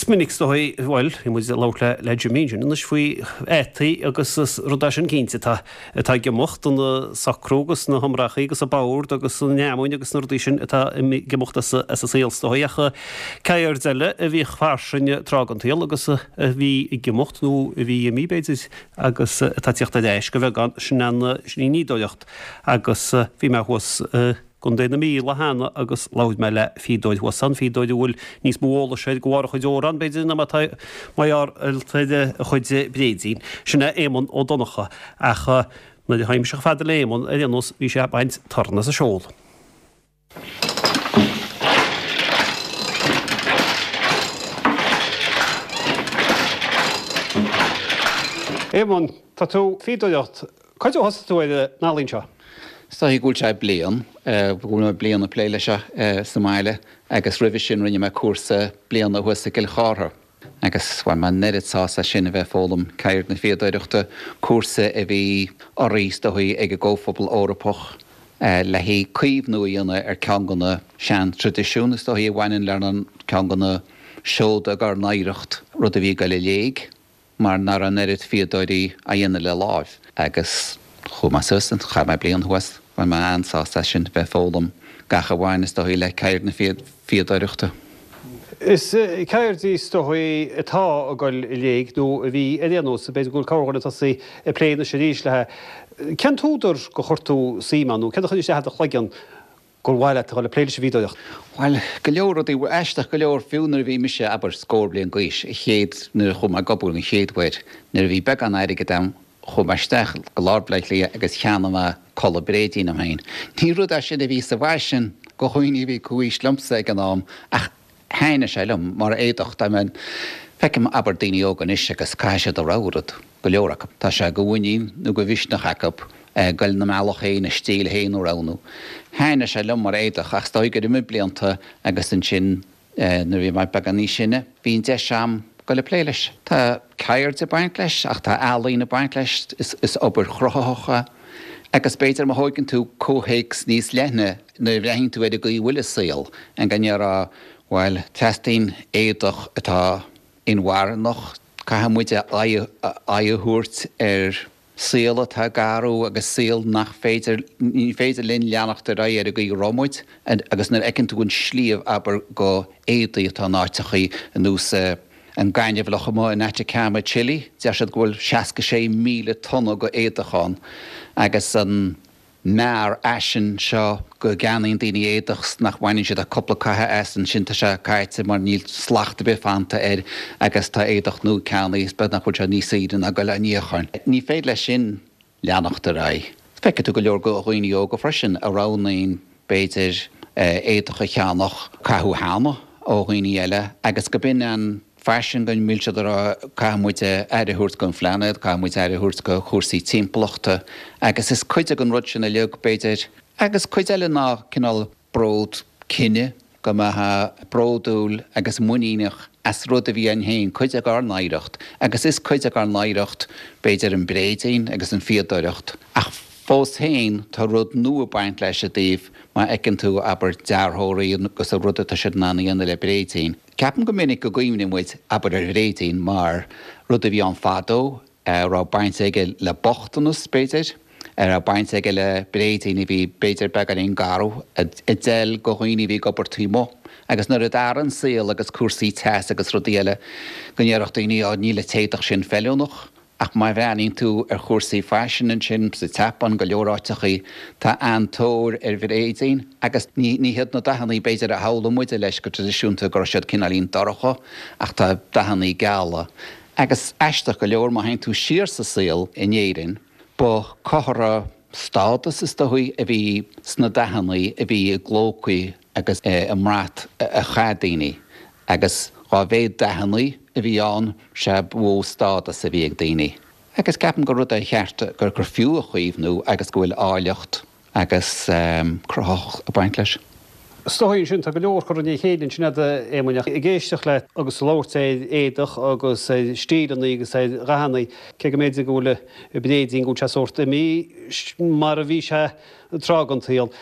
Is minic is dóigh, bhuel, bhí muid ag labhairt le Jimmy ansin anois faoi fhataí agus rudaí sin cinnte atá atá ag imeacht, an socrú agus na hiomrachaí agus an bord agus an fheamainn agus na rudaí sin atá ag imeacht as an saol is dóigh ach ceird eile a bhíodh fairsing tráth den tsaol agus a bhí ag imeacht nó a bhí imithe b'fhéidir agus atá ag tíocht ar ais go bheagán sin an sin í an fhíodóireacht agus bhí mé thuas i gContae na Mí lá cheana agus labhair mé le fíodóir thuas ann, fíodóir a bhfuil níos mó eolais air de bharr a chuid amhrán, b'fhéidir, ná mar atá mar gheall ar a chuid bréidín. Sin é Éamonn Ó Donnchadha. Ach nuair a tháinig mise chomh fada le Éamonn, ar aon nós, bhí sé ag baint torann as an seol. Éamonn, tá tú ag fíodóireacht Cá huair a thosaigh tú ar an ealaín seo? Is dóigh go bhfuil sé bliain, go bhfuil mé bliain ag plé leis seo sa mbaile agus roimhe sin rinne mé cúrsa bliana thuas i gCill Chártha agus bhain mé an oiread sásamh as sin a bheith ag foghlaim ceird na fíodóireachta, cúrsa a bhí urraithe is dóigh ag an gComhphobal Eorpach le haghaidh caomhnú a dhéanamh ar ceann de na sean-traidisiúin is dóigh a bhaineann lenár ceann de na seoda dár n-oidhreacht, rud a bhí ag dul i léig. mar nach raibh an oiread fíodóirí á dhéanamh le láimh. Agus chuaigh mé suas, chaith mé bliain thuas, bhain mé an-sásamh as sin, bheith ag foghlaim gach a bhain is dóigh le ceird na fíodóireachta. Is ceird í is dóigh atá ag dul i léig, nó a bhí ar aon nós, b'fhéidir go bhfuil corrdhuine tosaithe ag plé anois arís léi. Cén t-údar gur chuir tú suim ann, nó céard a chuir isteach i do chloigeann gur mhaith leat a dhul ag plé leis an bhfíodóireacht? Bhuel, go leor rudaí. Aisteach go leor, fiú nuair a bhí mise, abair, scór bliain d'aois, an chéad, nuair a chuaigh mé ag obair an chéad uair, nuair a bhí beagán airgid agam, chuaigh mé isteach go lár Bhaile Átha Cliath agus cheannaigh mé culaith bréidín dom féin. Ní rud é sin a bhí sa bhfaisean do dhaoine a bhí comhaois liomsa ag an am ach thaitnigh sé liom mar éadach. Dá mbeinn, feicim, abair, daoine óga anois agus caithfidh siad a rogha rud, go leor acu. Tá sé de mhuinín nó de mhisneach acu goil 'na mbealach féin, a stíl féin a roghnú. Thaitnigh sé liom mar éadach ach is dóigh gur imigh blianta agus ansin nuair a bhí mé beagán níos sine bhí an deis a'm goil ag plé leis. Tá ceird ag baint leis ach tá ealaín ag baint leis, is obair chruthaitheach é agus b'fhéidir má thóigeann tú comhthéacs níos leithne nuair a bhreathnaíonn tú ar an gcaoi a bhfuil an saol, an go ndéarfá bhuel teastaíonn éadach atá inmharthanach, caithfidh muid aghaidh a thabhairt ar saol atá ag athrú agus saol nach féidir, ní féidir linn leanacht ar aghaidh ar an gcaoi a raibh muid agus nuair a fheiceann tú an sliabh, abair, go éadaí atá in áiteachaí ar nós an gaineamhlach amuigh in Atacama, Chile, deir siad go bhfuil 66,000 tonna go éadach ann agus an mearfhaisean seo go gceannaíonn daoine éadach 's nach mbaineann siad ach cúpla caitheamh as, ansin tá sé caite mar níl slacht ar bith fanta air agus tá éadach nua ceannaithe is beag nach bhfuil sé níos saoire ná goil á níochán. Ní féidir leis sin leanacht ar aghaidh. Feicfidh tú go leor go dhaoine óga freisin a roghnaíonn b'fhéidir éadach a cheannach caitheadh cheana ó dhaoine eile agus go b'in an faisean go bhfuil siad ag rá caithfidh muid aire a thabhairt don phláinéad, caithfidh muid aire a thabhairt do chúrsaí timpeallachta agus is cuid den rud sin uilig b'fhéidir agus cuid eile ná cineál bród cine, go mbeifeá bródúil agus muiníneach as rud a bhí againn féin, cuid dár n-oidhreacht agus is cuid dár n-oidhreacht b'fhéidir an bréidín agus an fíodóireacht ach fós féin tá rud nua ag baint leis i dtaobh má fheiceann tú abair dearthóirí agus an rud atá siad in ann a dhéanamh le bréidín. Ceapaim go minic go gcuimhníonn muid, abair, ar bhréidín mar rud a bhí ann fadó, a raibh baint aige le bochtanas, b'fhéidir, a raibh baint aige le bréidín a bhí, b'fhéidir, beagáinín garbh, a d'fheil go dhaoine a bhí ag obair taobh amuigh. Agus nuair a d'athraigh an saol agus cúrsaí teas agus rudaí eile, go ndéarfadh daoine, á, níl an t-éadach sin feiliúnach. Ach má bhreathnaíonn tú ar chúrsaí faisin ansin, sa tSeapáin, go leor áiteachaí, tá an-tóir ar bhréidín agus ní ní hiad na dathannaí b'fhéidir a shamhlaigh muide leis go traidisiúnta go raibh siad cineáilín dorcha ach tá dathannaí geala. Agus aisteach go leor má théann tú siar sa saol in Éirinn, ba comhartha stádas is dóigh a bhí sna dathannaí a bhí i gclócaí agus i mbrat a chaith daoine agus dá mhéad dathannaí a bhí ann sea ba mhó stádas a bhí ag daoine. Agus ceapaim gur rud é cheart gur gur fiú a chaomhnú agus go bhfuil áilleacht agus cruthaitheacht ag baint leis. Is dóigh ansin, tá go leor curtha i ndiaidh a chéile ansin agat, a Éamoinn, ach ag éisteacht leat agus ag labhairt ar éadach agus ar stíleanna agus ar dhathanna, cé go mb'fhéidir go bhfuil an bréidín, go bhfuil sé sórt imithe mar a bhí sé tráth den tsaol.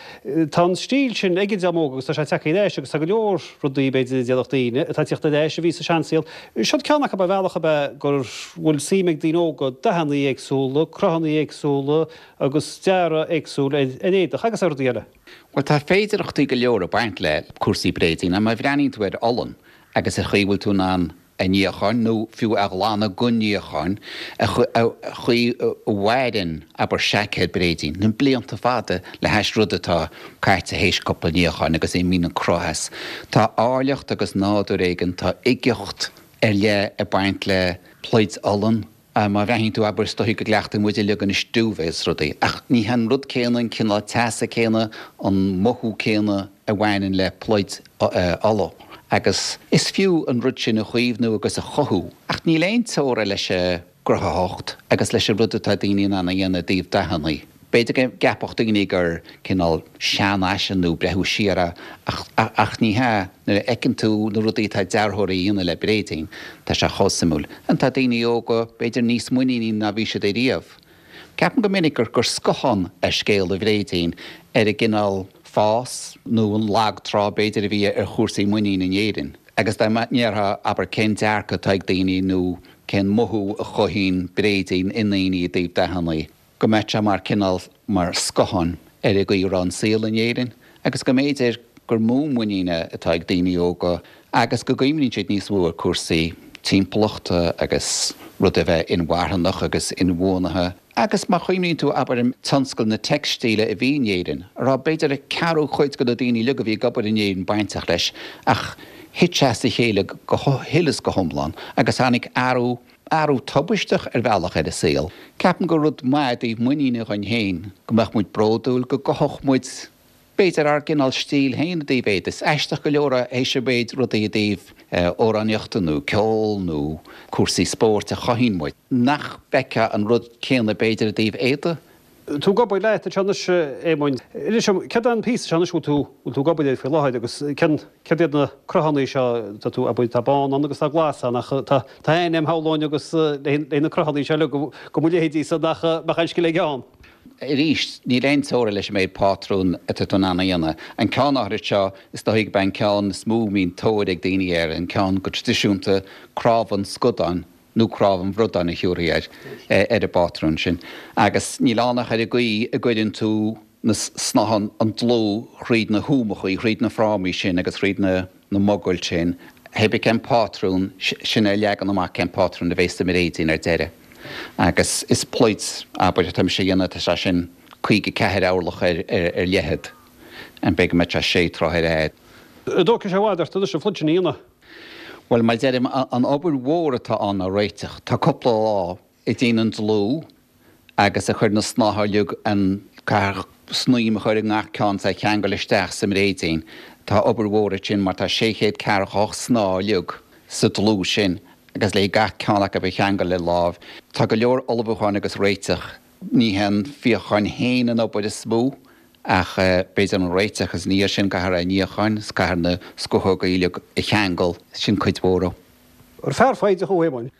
Tá an stíl sin ag an dream óg agus tá sé tagtha ar ais agus tá go leor rudaí, b'fhéidir, a déarfadh daoine, atá ag tíocht ar ais a bhí sa seansaol. Seod ceann acu ar bhealach ab ea go bhfuil suim ag daoine óga dathanna éagsúla, cruthanna éagsúla agus dearadh éagsúil ar éadach agus ar rudaí eile. Bhuel, tá féidearthachtaí go leor ag baint le cúrsaí bréidín. Má bhreathnaíonn tú ar olann agus ar chaoi a bhfuil tú in ann a níochán, nó fiú a ghlanadh den níochán, an chaoi a mhaireann, abair, seaicéad bréidín, na blianta fada le hais rud atá caite théis cúpla níochán agus imíonn an cruth as. Tá áilleacht agus nádúr éigin, tá uigeacht ar leith ag baint le pluid olann. Má bhreathnaíonn tú, abair, is dóichí go gcleachtann muid uilig anois duvet is rudaí, ach ní hé an rud céanna, an cineál teasa céanna, an mothú céanna a bhaineann le pluid olla. Agus is fiú an rud sin a chaomhnú agus a chothú, ach níl aon teora leis an gcruthaitheacht agus leis an rud atá daoine in ann a dhéanamh i dtaobh dathanna. B'fhéidir go gceapfadh daoine gur cineál seanfhaisean nó breithiú siar é, ach ach ní hea. Nuair a fheiceann tú na rudaí atá dearthóirí a dhéanamh le bréidín, tá sé chomh suimiúil. And tá daoine óga b'fhéidir níos muiníní ná bhí siad ariamh. Ceapaim go minic gur gur scáthán é scéal an bhréidín ar an gcineál fás nó an lag trá b'fhéidir a bhí ar chúrsaí muiníne in Éirinn. Agus dá ndéarfá, abair, cén dearcadh atá ag daoine nó cén mothú a chothaíonn bréidín i ndaoine i dtaobh dathanna, go mbeadh sé mar cineál, mar scáthán ar an gcaoi a raibh an saol in Éirinn agus go mb'fhéidir gur mó muiníne atá ag daoine óga agus go gcuimhníonn siad níos mó ar cúrsaí timpeallachta agus rud a bheith inmharthanach agus inbhuanaithe. Agus má chuimhníonn tú, abair, ar tionscal na teicstíle a bhí in Éirinn, a raibh b'fhéidir ceathrú cuid de na daoine uilig a bhí ag obair in Éirinn bainteach leis, ach thit sé as a chéile go huile is go hiomlán agus tháinig athrú Athrú tubaisteach ar bhealach ar an saol. Ceapaim gur rud maith i dtaobh muiníne dhuinn féin, go mbeadh muid bródúil, go gcothódh muid b'fhéidir ár gcineál stíl féin i dtaobh éadaí. Is aisteach go leor é théis an mhéid rudaí i dtaobh amhránaíochta nó ceol nó cúrsaí spóirt a chothaíonn muid, nach bhfeicfeá an rud céanna b'fhéidir i dtaobh éadaí. Tú ag obair leat anseo anois, a Éamoinn. Inis dom, céard é an píosa seo anois a bhfuil tú, bhfuil tú ag obair air faoi láthair agus cén, céard iad na cruthanna seo, tá tú, abair, tá bán ann agus tá glas ann ach tá, tá aithne agam shamhlóinn agus le, le na cruthanna seo uilig go, go mo leithéidí-sa nach mbeadh aon scil aige ann. Arís, níl aon teora leis an méid pátrún atá tú in ann a dhéanamh. An ceann áithrid seo, is dóichí gurb é an ceann is mó a mbíonn tóir ag daoine air, an ceann go traidisiúnta, cnámh an scadáin, nó cnámh an bhradáin a thiúrfaí air, ar an bpátrún sin. Agus níl ann ach ar an gcaoi a gcuireann tú na snátha, an dlúth thríd na húmachaí, thríd na frámaí sin agus thríd na mogaill sin, hé bith cén pátrún, sin é a leagan amach cén pátrún a bheas sa mbréidín ar deireadh. Agus is pluid, abair, atá mise a dhéanamh, tá sé sin 54 orlach ar leithead, b'fhéidir go mbeadh sé sé troithe ar fhad. An dtógfaidh sé i bhfad ort anois an phluid sin a dhéanamh? Bhuel, mar a deirim, an obair mhór atá ann ná réiteach. Tá cúpla lá ag déanamh an dlúth agus ag cur na snátha uilig, an caithfidh snaidhm a chur i ngach ceann is é a cheangal isteach sa mbréidín. Tá obair mhór ansin mar tá 648 snáth uilig sa dlúth sin agus le gach ceann acu a cheangal le láimh. Tá go leor ullmhúcháin agus réiteach. Ní hé an fíochán féin an obair is mó ach b'fhéidir an réiteach is ina dhiaidh sin caithfear é a níochán is caithfear na scothóga uilig a cheangal, sin cuid mhór dhó. Ar fear foighdeach thú, a Éamoinn?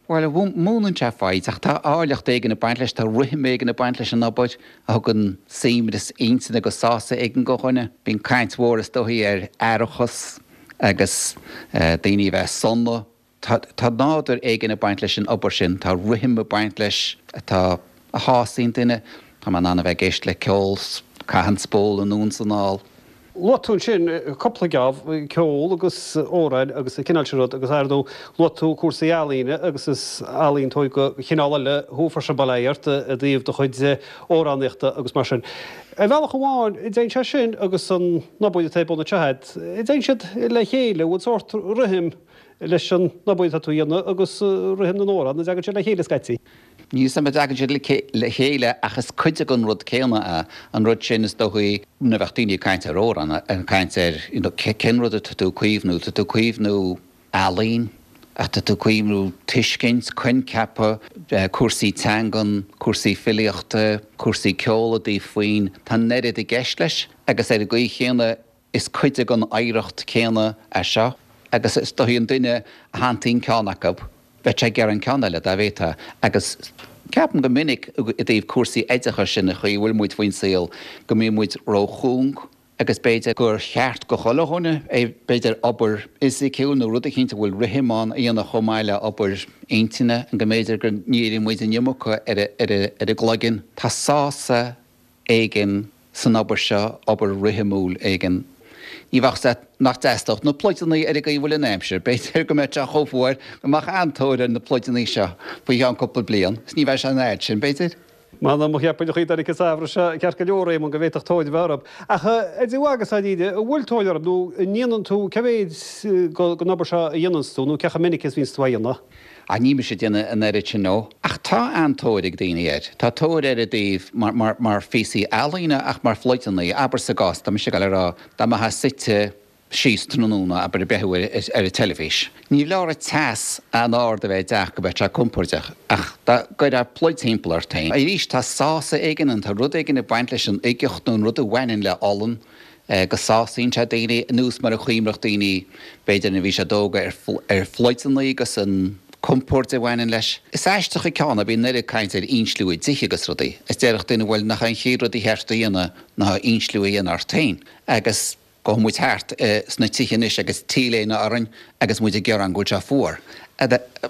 Bhuel, múineann sé foighid ach tá áilleacht éigin ag baint leis, tá rithim éigin ag baint leis an obair a thugann suaimhneas intinne agus sásamh éigin do dhuine. Bíonn caint mhór is dóichí ar aireachas agus daoine a bheith sona. Tá nádúr éigin ag baint leis an obair sin, tá rithim ag baint leis atá, a shásaíonn duine. Tá mé in ann a bheith ag éisteacht le ceol 's caitheamh an spól anonn 's anall. Luaigh tú ansin cúpla geábh, ceol agus amhráin agus an cineál sin rud agus ar ndóigh luaigh tú cúrsaí ealaíne agus is ealaíontóir de chineál eile thú freisin, bail ó Dhia ort, i dtaobh do chuid amhránaíochta agus mar sin. Ar bhealach amháin, an dtéann sé sin agus an obair atá ar bun anseo agat, an dtéann siad le chéile, an bhfuil sórt rithim leis an obair atá tú a dhéanamh agus rithim na n-amhrán, an dtagann siad le chéile scaití? Níl 'fhios a'm an dtagann siad le chéile ach is cuid den rud céanna é. An rud sin is dóichí nuair a bheadh daoine ag caint ar amhrán, ag caint ar you know cén rud atá tú ag caomhnú, tá tú ag caomhnú ealaín ach tá tú ag caomhnú tuiscint, coincheapa, cúrsaí teangan, cúrsaí filíochta, cúrsaí ceoil i dtaobh foinn, tá an oiread i gceist leis agus ar an gcaoi chéanna. Is cuid den oidhreacht céanna é seo agus is dóichí an duine a shantaíonn ceann acu, bheadh sé ag iarraidh an ceann eile dá bhféadfá. Agus ceapaim go minic i dtaobh cúrsaí oideachais sin an chaoi a bhfuil muid faoin saol go mbíonn muid róchúng agus b'fhéidir gur cheart go chuile dhuine é b'fhéidir obair fhisiciúil nó rud eicínt a bhfuil rithim ann a dhéanamh chomh maith le obair intinne go mb'fhéidir go ndíríonn muid an iomarca ar an gcloigeann. Tá sásamh éigin san obair seo, obair rithimiúil éigin. Ní bheadh 's a't nach dteastódh na pluideanna ar an gcaoi a bhfuil an aimsir. B'fhéidir go mbeadh sé chomh fuar go mbeadh an-tóir ar na pluideanna seo faoi cheann cúpla bliain, is ní bheidh sé an fhad sin, b'fhéidir. M'anam, cheapfainn an chaoi a dtáinig an samhradh seo ceart go leor, Éamonn, go bhféadfadh tóir a bheith orthu. Ach a dTigh agus dáiríre, an bhfuil tóir orthu nó an ndéanann tú, cé mhéid den obair seo a dhéananns tú nó cé chomh minic is a bhíonns tú á dhéanamh? Ah, níl mise ag déanamh an oiread sin, no. Ach tá an-tóir ag daoine air. Tá tóir air i dtaobh mar, mar, mar phíosaí ealaíne ach mar phluideanna. Abair sa gcás, tá mise ag dul a rá, dá mbeifeá suite síos tráthnóna, abair, ag breathnú ar, ar an teilifís. Ní leor an teas an-ard a bheith i dteach go mbeadh sé compordach ach dá gcuirfeá pluid timpeall ort féin. Arís, tá sásamh éigin ann, tá rud éigin ag baint leis an uigeacht nó an rud a bhaineann le olann. go sásaíonn sé daoine, anuas mar a chuimhneodh daoine, b'fhéidir, nuair a bhí siad óga, ar phluideanna agus an compord a bhaineann leis. Is aisteach an ceann é, bíonn an oiread caint ar insliú i dtithe agus rudaí, is déarfadh duine, bhuel, nach é an chéad rud a cheart a dhéanamh ná insliú a dhéanamh ort féin. Agus gabhann muid thart sna tithe anois agus T-léine orainn agus muid ag gearán go bhfuil sé fuar.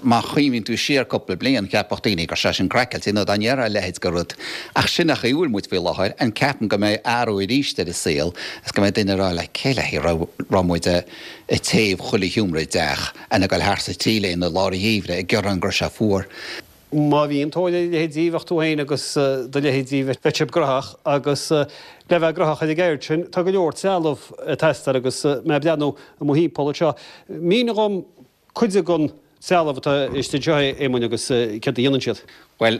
Má chuimhníonn tú siar cúpla bliain, cheapfadh daoine gur sé sin craiceáilte, nó dá ndéarfá a leithéid de rud. Ach sin an chaoi a bhfuil muid faoi láthair, and ceapaim go mbeidh athrú arís ar an saol is go mbeidh duine ag rá like cé le haghaidh a raibh muid ag téamh chuile sheomra i dteach and ag dul thart sa T-léine i lár an gheimhridh ag gearán go raibh sé fuar. Má bhíonn tóir ar a leithéidí, bheadh tú féin agus do leithéidí, bheadh sibh graitheach agus le bheith graitheach ar an gceird sin, tá go leor trealamh ag teastáil agus mé ag breathnú i mo thimpeall anseo, mínigh dhom cuid den trealamh atá istigh anseo, a Éamoinn, agus céard a dhéanann siad. Bhuel,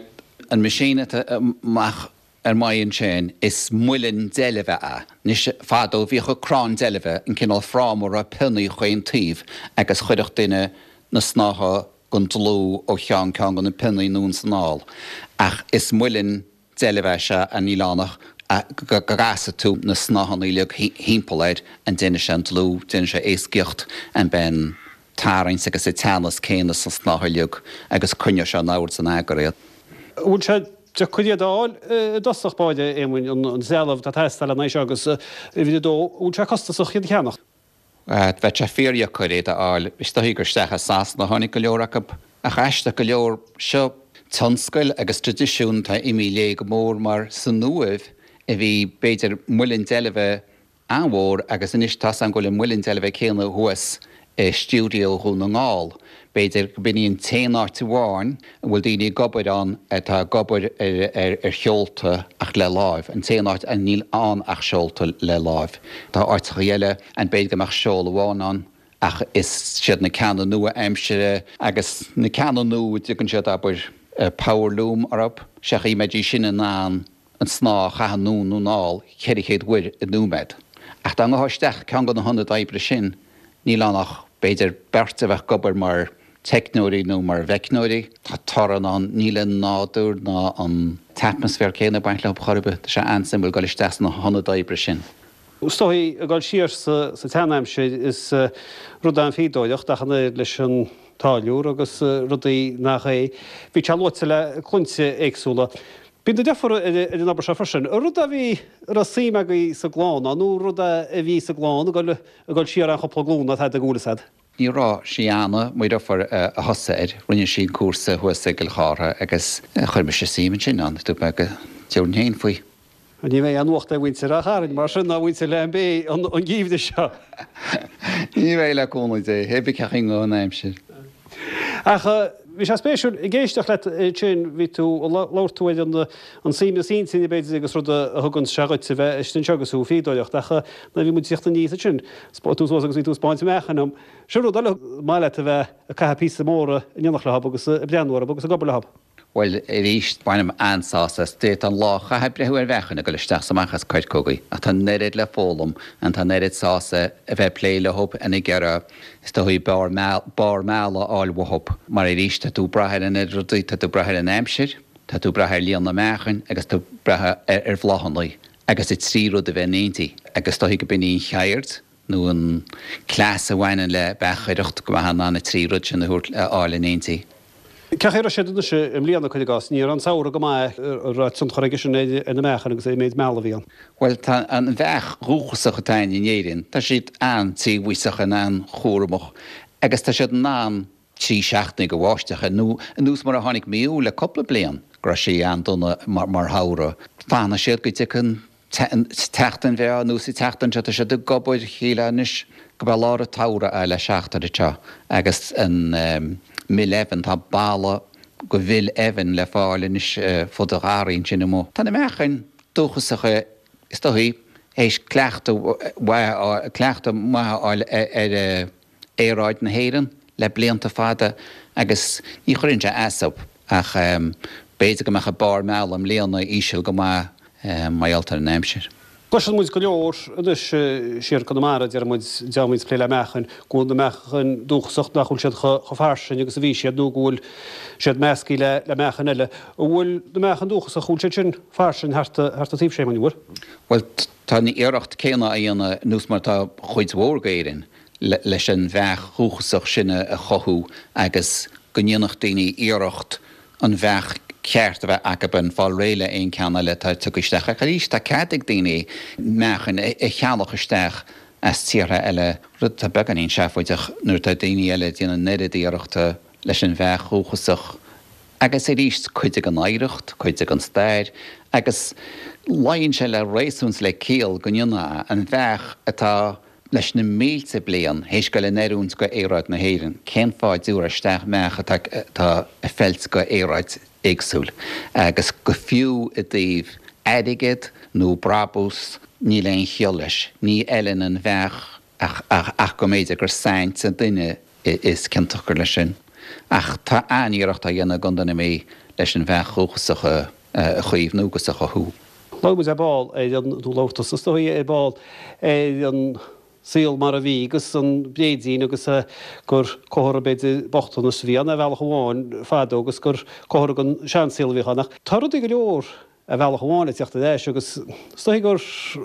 an machine atá amach ar m'aghaidh ansin, is muileann deilbhe é. Anois, fadó bhíodh an crann deilbhe, an cineál fráma a raibh pionnaí chaon taobh agus chuirfeadh duine na snátha den dlúth ó cheann ceann de na pionnaí anonn is anall, ach is muileann deilbhe é seo and níl ann ach go gcasfaidh tú na snáthanna uilig thimpeall air and déanfaidh sé an dlúth, déanfaidh sé éascaíocht and beidh an tarraingt agus an teannas céanna sna snátha uilig agus coinneoidh sé in ord is in eagar iad. An bhfuil sé deacair iad a fháil i dtosach báire, a Éamoinn, an trealamh atá ag teastáil lena aghaidh seo agus uimhir a dó, an bhfuil sé costasach iad a cheannach? Bheadh sé fíordheacair iad a fháil. Is dóichí gur isteach as Sasana a tháinig go leor acu. Ach aisteach go leor, seo tionscail agus traidisiún atá imithe i léig go mór mar san Uaimh a bhí, b'fhéidir, muileann deilbhe an-mhór agus anois tá's agam go bhfuil an muileann deilbhe céanna thuas i stiúideo Dhún na nGall. B'fhéidir go b'in í an t-aon áit amháin a bhfuil daoine ag obair ann atá ag obair ar sheolta ach le láimh, an t-aon áit a níl ann ach seolta le láimh. Tá áiteachaí eile and b'fhéidir go mbeadh seol amháin ann ach is siad na ceanna nua-aimsire agus na ceanna nua a dtugann siad abair power loom orthu, seachas mbeidís sin in ann an snáth a chaitheamh anonn nó anall 400 uair i nóiméad. Ach dá ngabhfá isteach ceann de na hionaid oibre sin, níl ann ach b'fhéidir beirt a bheadh ag obair mar teicneoirí nó mar mheicneoirí. Tá torann ann, níl an nádúr ná an t-atmaisféar céanna ag baint leo chor ar bith. Tá sé an-suimiúil dul isteach sna hionaid oibre sin. Is dóigh, ag dul siar sa tseanaimsir, is rud é an fhíodóireacht ach an oiread leis an táilliúr agus rudaí nach é. Bhí sé luaite le cluinte éagsúla. Bíonn do deirfiúr ar an obair seo freisin. An rud a bhí, a raibh suim agaibh sa gclann ann, nó rud a bhí sa gclann ag dul, ag dul siar an-chúpla glún atá ag dul as. Ní raibh, sí Anna, mo dheirfiúr, a thosaigh air. Rinne sí an cúrsa thuas i gCill Chártha agus chuir mise suim ansin ann. Dúirt mé go dtabharfainn féin faoi. Ní bheidh aon nuacht ag mhuintir Ráth Chairn mar sin ná mhuintir Leathan Bé an geimhreadh seo. Ní bheidh, le cúnamh Dé, hé bith cén chaoi an aimsir. Ach bhí sé spéisiúil ag éisteacht leat ansin, bhí tú, labhair tú ar an suaimhneas intinne b'fhéidir agus rud a thugann sé dhuit a bheith istigh anseo agus tú ag fíodóireacht ach nuair a bhí muid ag tíocht aníos ansin, spáin tú suas agus bhí tú ag spáint meáchain dom. Sin rud eile, maith leat a bheith ag caitheamh píosa móra in éineacht leo agus ag breathnú orthu agus ag obair leo. Bhuel, arís, bainim an-sásamh as. D'fhéadfá an lá a chaitheamh ag breathnú ar mheáchain ag dul isteach is amach as coirceogaí, ach tá an oiread le foghlaim and tá an oiread sásamh a bheith ag plé leo and ag iarraidh, is dóigh, barr meala a fháil uathu. Mar arís, tá tú ag brath ar an oiread rudaí, tá tú ag brath ar an aimsir, tá tú ag brath ar líon na meáchain agus tá tú ag brath ar bhláthanna. agus an trí rud a bheith in éindí agus is dóichí go b'in í an cheird nó an cleas a bhaineann le beachaireacht, go mbeifeá in ann an trí rud sin a thabhairt, a fháil in éindí. Cén chaoi a raibh siad anois i mbliana, cuir i gcás? Ní raibh an samhradh go maith, an raibh tionchar aige sin ar na meachain agus ar an méid meala a bhí ann? Bhuel, tá an bheach dhúchasach atá againn in Éirinn, tá siad an-tíobhaíosach, an-chúramach agus tá siad in ann 3 seachtainí de bháisteach, nó anuas mar a tháinig mí Iúil le cúpla bliain, go raibh sé an-dona mar shamhradh. Fanfaidh siad go dtiocfaidh an tseachtain bhreá anuas an tseachtain seo, tá siad ag obair, shílfeá anois go mbeadh lár an tsamhraidh le seachtain anseo agus an mil eibhinn, tá balla de mhil eibhinn le fáil anois fud an gharraí ansin amuigh. Tá na meachain dúchasacha is dóichí théis cleachtadh mhaith, cleachtadh maith a fháil ar aeráid na hÉireann le blianta fada agus ní chuireann sé as dóibh ach b'fhéidir go mbeadh a barr meala i mbliana íseal go maith mar gheall ar an aimsir. Cloiseann muid go leor anois siar i gConamara, deir muid, dá mbíonns plé le meachain, go bhfuil na meachain dúchasach, nach bhfuil siad chomh fairsing agus a bhí siad nó go bhfuil siad meascaí le meachain eile. An bhfuil na meachain dúchasach, an bhfuil siad sin fairsing thart an taobh Séamuinn, an bhfuil? Bhuel, tá an iarracht céanna á dhéanamh anuas mar atá chuid mhór d'Éirinn leis an bheach dhúchasach sin a chothú agus go ndéanfadh daoine iarracht an bheach cheart a bheith acu and fáil réidh le aon ceann eile atá tugtha isteach. Ach arís, tá cead ag daoine meáchain a cheannach isteach as tíortha eile, rud atá beagáinín seafóideach nuair atá daoine eile ag déanamh an oiread iarrachta leis an bheach dhúchasach. Agus arís, cuid den oidhreacht, cuid den stair, agus luíonn sé le réasún 's le ciall go ndéanfá an bheach atá leis na mílte bliain théis goil in oiriúint go aeráid na hÉireann, cén fáth a dtabharfá isteach beach atá atá ag feilt go aeráid éagsúil? Agus go fiú i dtaobh airgead nó brabús, níl aon chiall leis. Ní fheileann an bheach ach ach ach go mb'fhéidir gur saint an duine is ciontach gur leis sin. Ach tá an-iarracht á dhéanamh i gContae na Mí leis an bheach dhúchasach a chaomhnú agus a chothú. Labhair muid ar ball ar an, nó labhair tusa is dóigh ar ball, ar an saol mar a bhí agus an bréidín agus gur comhartha b'fhéidir bochtanas a bhí ann ar bhealach amháin fadó agus gur comhartha den seansaol a bhíodh ann. Ach tá rudaí go leor ar bhealach amháin ag teacht ar ais agus is dóigh gur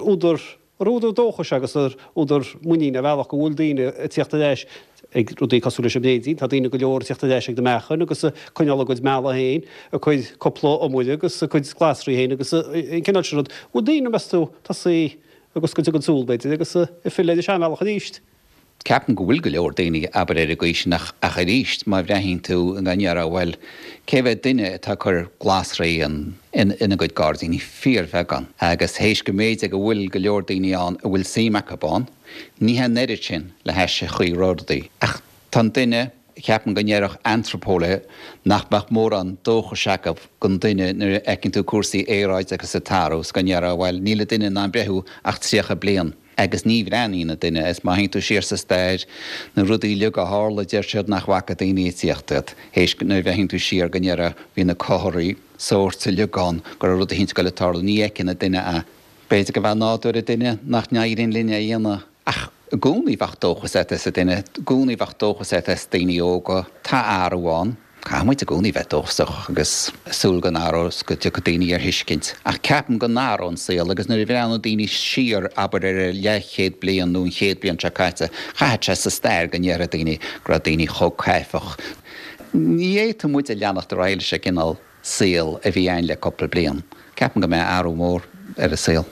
údar Gur údar dóchais agus gur údar muiníne ar bhealach go bhfuil daoine ag tíocht ar ais ag rudaí cosúil leis an mbréidín. Tá daoine go leor ag tíocht ar ais ag na meachain agus ag coinneáil a gcuid meala féin, a cuid cúpla iomaire agus a cuid glasraí féin agus an cineál sin rud. Bhfuil daoine, meas tú, tosaithe ag oscailt a gcuid súl, b'fhéidir, agus ag filleadh ar an seanbhealach arís? Ceapaim go bhfuil go leor daoine, abair, ar an gcaoi sin ach, ach arís, má bhreathnaíonn tú go ndéarfá, bhuel, cé mhéad duine atá ag cur glasraí in, ina gcuid gairdíní? Fíorbheagán. Agus théis go mb'fhéidir go bhfuil go leor daoine ann a bhfuil suim acu ann, ní hé an oiread sin le hais an chaoi a raibh rudaí. Ach tá an duine, ceapaim go ndéarfadh antraipeolaithe nach mbeadh mórán dóchais acu don duine nuair a fheiceann tú cúrsaí aeráide agus ag athrú is go ndéarfá, bhuel, níl an duine in ann breathnú ach 30 bliain. Agus ní bhreathnaíonn an duine, is má théann tú siar sa stair, na rudaí uilig a tharla, deir siad nach bhfaca daoine ag tíocht iad. Théis, nuair a bhreathnaíonn tú siar go ndéarfá, bhí na comharthaí sóirt uilig ann go raibh rud eicínt ag goil ag tarlú, ní fheiceann an duine é. B'fhéidir gurb é nádúr an duine nach n-éiríonn linn é a dhéanamh. Ach i gcónaí bheadh dóchas agat sa duine, i gcónaí bheadh dóchas agat sna daoine óga. Tá athrú ann. Caithfidh muid i gcónaí bheith dóchasach agus súil go n-athróidh is go dtiocfaidh daoine ar thuiscint. Ach ceapaim go n-athróidh an saol agus nuair a bhreathnóidh daoine siar, abair, ar an leathchéad bliain nó an chéad bliain seo caite, chaithfeadh sé sa stair go ndéarfaidh daoine go raibh daoine chomh caifeach. Ní fhéadfaidh muid a leanacht ar aghaidh leis an gcineál saol a bhí ann le cúpla bliain. Ceapaim go mbeidh athrú mór ar an saol.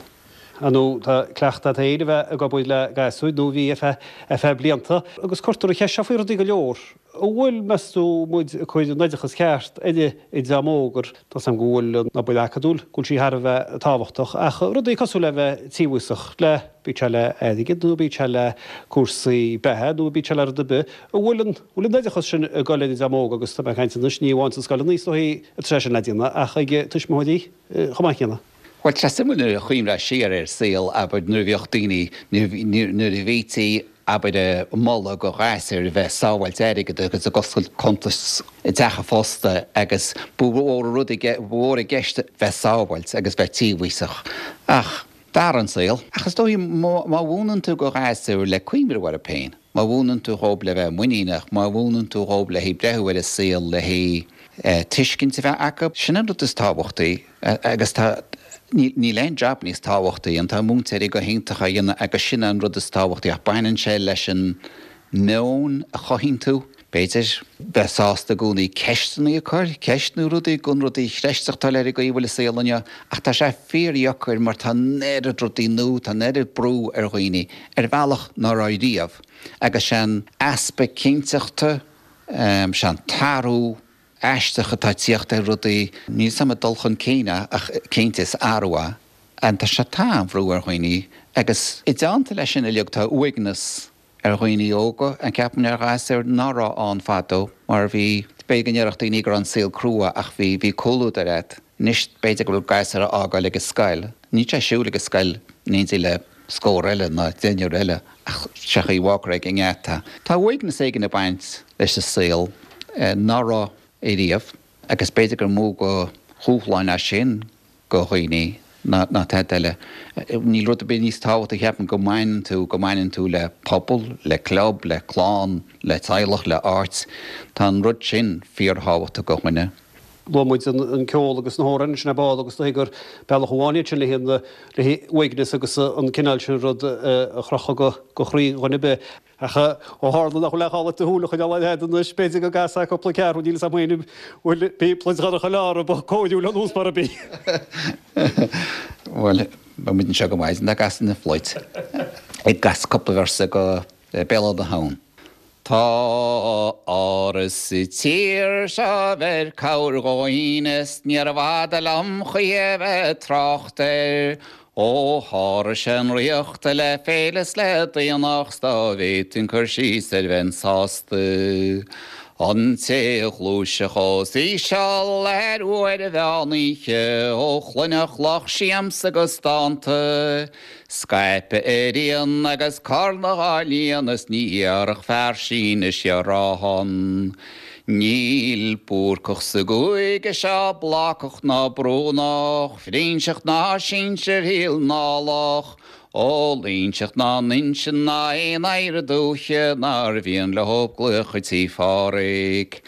Ar ndóigh, tá cleachtadh agat féin a bheith ag obair le gasúir, nó bhí ar feadh, ar feadh blianta, agus cuirtear an cheist seo faoi rudaí go leor. An bhfuil, meas tú, muid ag cur an oideachas ceart ar an dream óg, ar, tá 's agam go bhfuil an obair acadúil, go bhfuil sí thar a bheith tábhachtach, ach rudaí cosúil le bheith tíobhaíosach le, bíodh sé le airgead nó bíodh sé le cúrsaí beatha nó bíodh sé le rud ar bith, an bhfuil an, bhfuil an oideachas sin ag dul ar an dream óg agus tá mé ag caint anois, ní amháin sna scoileanna is dóichí atá sé sin le déanamh ach ag tuismitheoirí chomh maith céanna. Bhuel, tá sé suimiúil nuair a chuimhneofá siar ar saol, abair, nuair a bhíodh daoine, nuair a bhítí, abair, ag moladh do ghasúir a bheith ag sábháilt airgid agus ag oscailt cuntas i dteach an phosta agus ba mhór an rud, ba mhór i gceist bheith sábháilt agus bheith tíobhaíosach. Ach d'athraigh an saol. Ach is dóigh má mhúineann tú do ghasúir le cuimhneamh orthu féin, má mhúineann tú dhóibh le bheith muiníneach, má mhúineann tú dhóibh le haghaidh breathnú ar an saol, le haghaidh tuiscint a bheith acu, sin an rud is tábhachtaí. Agus tá. Níl aon jab níos tábhachtaí, an tá múinteoirí go hiontach á dhéanamh agus sin an rud is tábhachtaí ach baineann sé leis an meon a chothaíonn tú, b'fhéidir, bheith sásta i gcónaí ceisteanna a chur, ceistniú rudaí, gan rudaí a chreidteachtáil ar an gcaoi a bhfuil an saol inniu ach tá sé fíordheacair mar tá an oiread rudaí nua, tá an oiread brú ar dhaoine ar bhealach ná raibh riamh agus sé an easpa cinnteachta, sé an t-athrú aisteach atá ag tíocht ar rudaí. Níl 's a'm an dul chun cinn é ach cinnte is athrú é. Tá sé tá an-bhrú ar dhaoine agus i dteannta leis sin uilig tá uaigneas ar dhaoine óga, an ceapaim ar ghasúir ná raibh ann fadó mar bhí, b'fhéidir go ndéarfadh daoine go raibh an saol crua ach bhí, bhí comhluadar a'd. Anois b'fhéidir go bhfuil gasúr a fhágáil ag an scoil, níl sé ag siúl ag an scoil in éindí le scór eile ná deichniúr eile ach sé chaoi bhfágfar ag an ngeata. Tá uaigneas éigin ag baint leis an saol ná raibh ariamh agus b'fhéidir gur mó de dhúshláin é sin go dhaoine ná tada eile. Níl rud ar bith níos tábhachtaí cheapfainn go mbaineann tú, go mbaineann tú le pobal, le club, le clann, le teaghlach, le áit. Tá an rud sin fíorthábhachtach go dhuine. Luaigh muid an ceol agus na hamhráin ansin ar ball agus dóigh gur bealach amháin iad sin le haghaidh uaigneas agus an cineál sin rud a chrochadh go chroí dhuine ar bith. Ach ó tharla nach bhfuil ach gá leat do shúil a choinneáil air anois, b'fhéidir go gcasfá cúpla ceathrú, níl 'fhios a'm féin an bhfuil bí pluid dhorcha leor ba cóiriúil an nós mar a bí. Bhuel, beidh muid anseo go maidin dá gcasfainn an phluid. Ag casadh cúpla véarsa go Béal Átha na hAbhann. Tá áras sa tír seo a bheir cabhair do dhaoine 's níorbh fhada liom choíche bheith ag trácht air. Ó sháraigh sé an ríocht le féile 's le daonnacht 's dá bhféadfainn cur síos air bheinn sásta. An té a ghluaisfeadh os íseal ar uair an mheán oíche ó chluinfeadh lucht siamsa agus dánta, Scaipeadh a rian agus cornadh á líonadh is ní iarrfadh fear Sínis gearán. Níl Búrcach sa gcúige seo Blácach ná Brúnach, Frínseach ná sinsir Shíl nDálach, ó Loingseach ná Nuinseann ná aon oidhre dúiche nár mhian leo glaoch chuig Tí Phádhraic.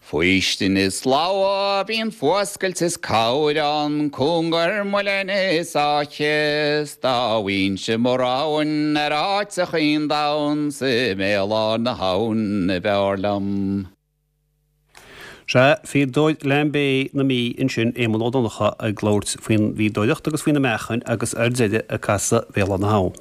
Faoistin is slabhra, bíonn fuascailt is cabhair ann, cúngar muilinn is áithe, 's dá bhfaighinnse mo roghain ar áiteachaí an domhain, 's i mbéal Átha na hAbhann a b'fhearr liom. Sea, fíodóir Lambay na Mí ansin, Éamonn Ó Donnchadha ag labhairt faoin bhfíodóireacht agus faoi na meáchain agus ar deireadh ag casadh Bhéal Átha na hAbhann.